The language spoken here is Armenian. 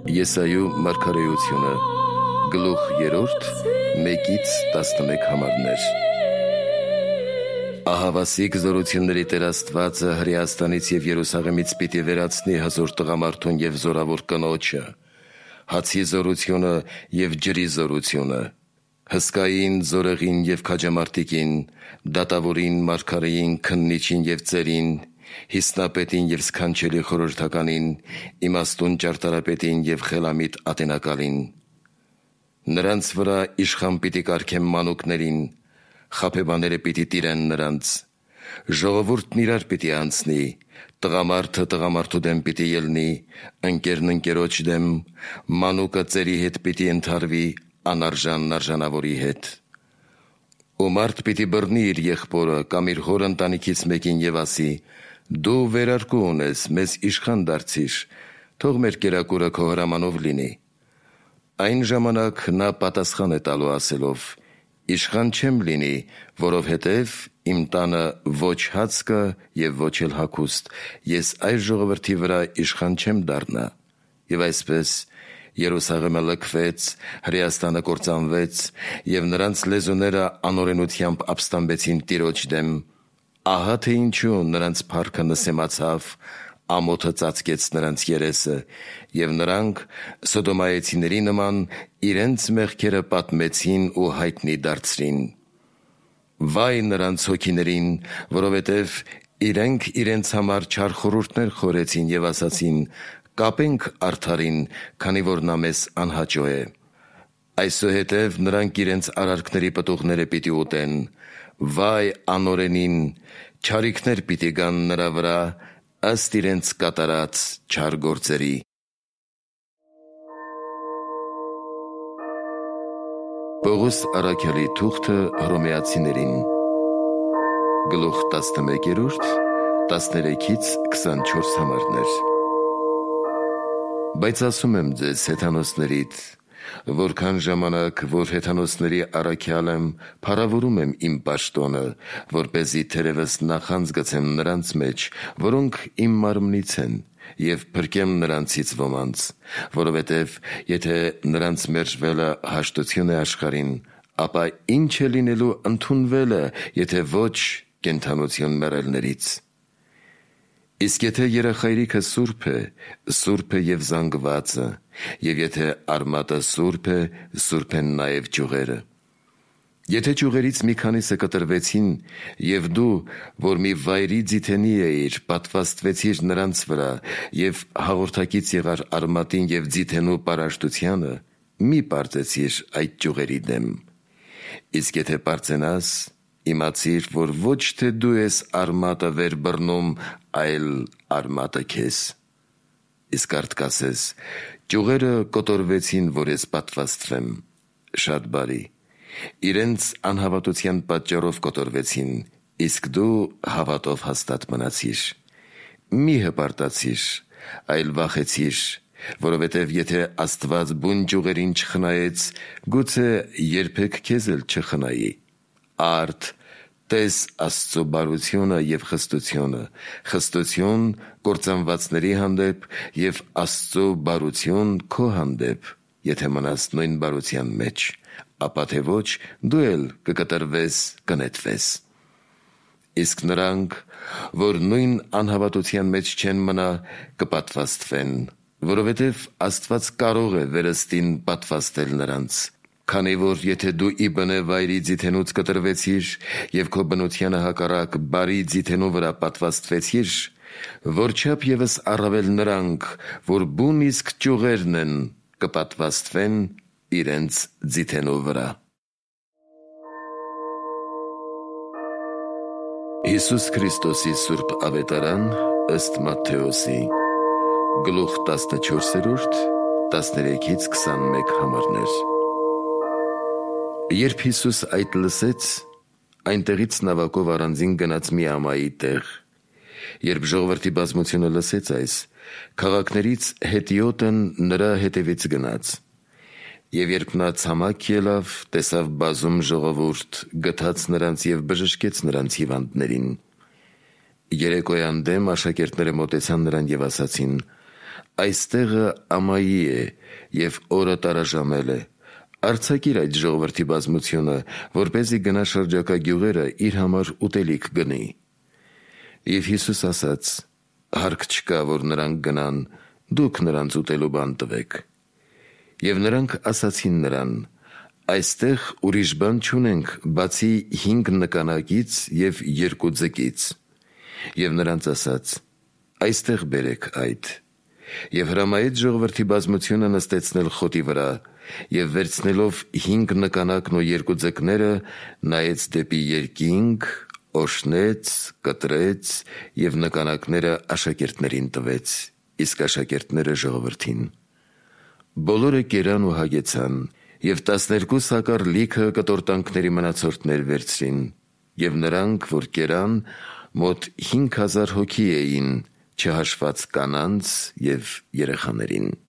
Եսայու մարգարեությունը, գլուխ 3, 1-11 համարներ։ Ահավասիկ զորությունների Տեր Աստվածը Հրեաստանից և Երուսաղեմից պիտի վերացնի հզոր տղամարդուն և զորավոր կնոջը, հացի զորությունը և ջրի զորությունը, հսկային, զորեղին և քաջամարտիկին, դատավորին, մարգարեին, քննիչին և ծերին, հիսնապետին և սքանչելի խորհրդականին, իմաստուն ճարտարապետին և խելամիտ ատենակալին։ Նրանց վրա իշխան պիտի կարգեմ մանուկներին, խաբեբաները պիտի տիրեն նրանց, ժողովուրդն իրար պիտի անցնի, տղամարդը տղամարդու դեմ պիտի ելնի, ընկերն ընկերոջ դեմ, մանուկը ծերի հետ պիտի ընդհարվի, անարժանն արժանավորի հետ։ Ու մարդ պիտի բռնի իր եղբորը կամ իր հոր ընտանիքից մեկին և ասի. «Դու վերարկու ունես, մեզ իշխան դարձիր, թող մեր կերակուրը քո հրամանով լինի»։ Այն ժամանակ նա պատասխան է տալու ասելով. «Իշխան չեմ լինի, որովհետև իմ տանը ոչ հաց կա և ոչ էլ հագուստ, ես այս ժողովրդի վրա իշխան չեմ դառնա»։ Եվ այսպես Երուսաղեմը լքվեց, Հրեաստանը կործանվեց, և նրանց լեզուները անօրենությամբ ապստամբեցին Տիրոջ դեմ։ Ահա թե ինչու նրանց փառքը նսեմացավ, ամոթը ծածկեց նրանց երեսը, և նրանք սոդոմայեցիների նման իրենց մեղքերը պատմեցին ու հայտնի դարձրին։ Վայ նրանց հոգիներին, որովհետև իրենք իրենց համար չար խորհուրդներ խորեցին և ասացին. «Կապենք արդարին, քանի որ նա մեզ անհաճո է»։ Այսուհետև նրանք իրենց արարքների պտուղները պիտի ուտեն։ Վայ անօրենին, չարիքներ պիտի գան նրա վրա, ըստ իրենց կատարած չար գործերի։ Պողոս առաքյալի թուղթը Հռոմեացիներին, գլուխ 11, 13-24 համարներ։ Բայց ասում եմ ձեզ հեթանոսներիդ, որքան ժամանակ, որ հեթանոսների առաքյալ եմ, փառավորում եմ իմ պաշտոնը, որպեսզի թերևս նախանձ գցեմ նրանց մեջ, որոնք իմ մարմնից են, և փրկեմ նրանցից ոմանց, որովհետև եթե նրանց մերժվելը հաշտություն է աշխարհին, ապա ի՞նչ է լինելու ընդունվելը, եթե ոչ կենդանություն մեռելներից։ Իսկ եթե երախայրիքը սուրբ է, սուրբ է և զանգվածը, և եթե արմատը սուրբ է, սուրբ են նաև ճյուղերը։ Եթե ճյուղերից մի քանիսը կտրվեցին, և դու, որ մի վայրի ձիթենի էիր, պատվաստվեցիր նրանց վրա, և հաղորդակից եղար արմատին և ձիթենու պարաշտությանը, մի պարծեցիր այդ ճյուղերի դեմ։ Իսկ եթե պարծենաս, իմացիր, որ ոչ թե դու ես արմատը վեր բռնում, այլ արմատը քեզ։ Իսկ արդ կասես. «Ճյուղերը կոտորվեցին, որ ես պատվաստվեմ»։ Շատ բարի։ Իրենց անհավատության պատճառով կոտորվեցին, իսկ դու հավատով հաստատ մնացիր։ Մի հպարտացիր, այլ վախեցիր, որովհետև եթե Աստված բուն ճյուղերին չխնայեց, գուցե երբեք քեզ էլ չխնայի։ Արդ տես Աստծո բարությունը և խստությունը, խստություն կործանվածների հանդեպ և Աստծո բարություն քո հանդեպ, եթե մնաս նույն բարության մեջ, ապա թե ոչ դու էլ կկտրվես, կնետվես։ Իսկ նրանք, որ նույն անհավատության մեջ չեն մնա, կպատվաստվեն, որովհետև Աստված կարող է վերստին պատվաստել նրանց։ Քանի որ եթե դու ի բնե վայրի ձիթենուց կտրվեցիր և քո բնությանը հակառակ բարի ձիթենու վրա պատվաստվեցիր, որչափ ևս առավել նրանք, որ բուն իսկ ճյուղերն են, կպատվաստվեն իրենց ձիթենու վրա։ Հիսուս Քրիստոսի սուրբ ավետարան ըստ Մատթեոսի, գլուխ 14, 13-21 համարներ։ Երբ Հիսուս այդ լսեց, այնտեղից նավակով առանձին գնաց մի ամայի տեղ։ Երբ ժողովրդի բազմությունը լսեց այս, քաղաքներից հետիոտն նրա հետևից գնաց։ Եվ երբ նա ցամաք ելավ, տեսավ բազում ժողովուրդ, գթաց նրանց և բժշկեց նրանց հիվանդներին։ Երեկոյան դեմ աշակերտները մոտեցան նրան և ասացին. այստեղը ամայի է և օրը տարաժամել է, արձակիր այդ ժողովրդի բազմությունը, որպեսզի գնա շրջակա գյուղերը իր համար ուտելիք գնի։ Եվ Հիսուս ասաց. հարկ չկա, որ նրանք գնան, դուք նրանց ուտելու բան տվեք։ Եվ նրանք ասացին նրան. այստեղ ուրիշ բան չունենք, բացի 5 նկանակից և 2 ձկից։ Եվ նրանց ասաց. այստեղ բերեք այդ։ Եվ հրամայեց ժողովրդի բազմությունը նստեցնել խոտի վրա, և վերցնելով 5 նկանակն ու 2 ձկները, նայեց դեպի երկինք, օրհնեց, կտրեց և նկանակները աշակերտներին տվեց, իսկ աշակերտները ժողովրդին։ Բոլորը կերան ու հագեցան, և 12 սակար լիքը կտորտանքների մնացորդներ վերցրին, և նրանք, որ կերան, մոտ 5000 հոգի էին, չհաշված կանանց և երեխաներին։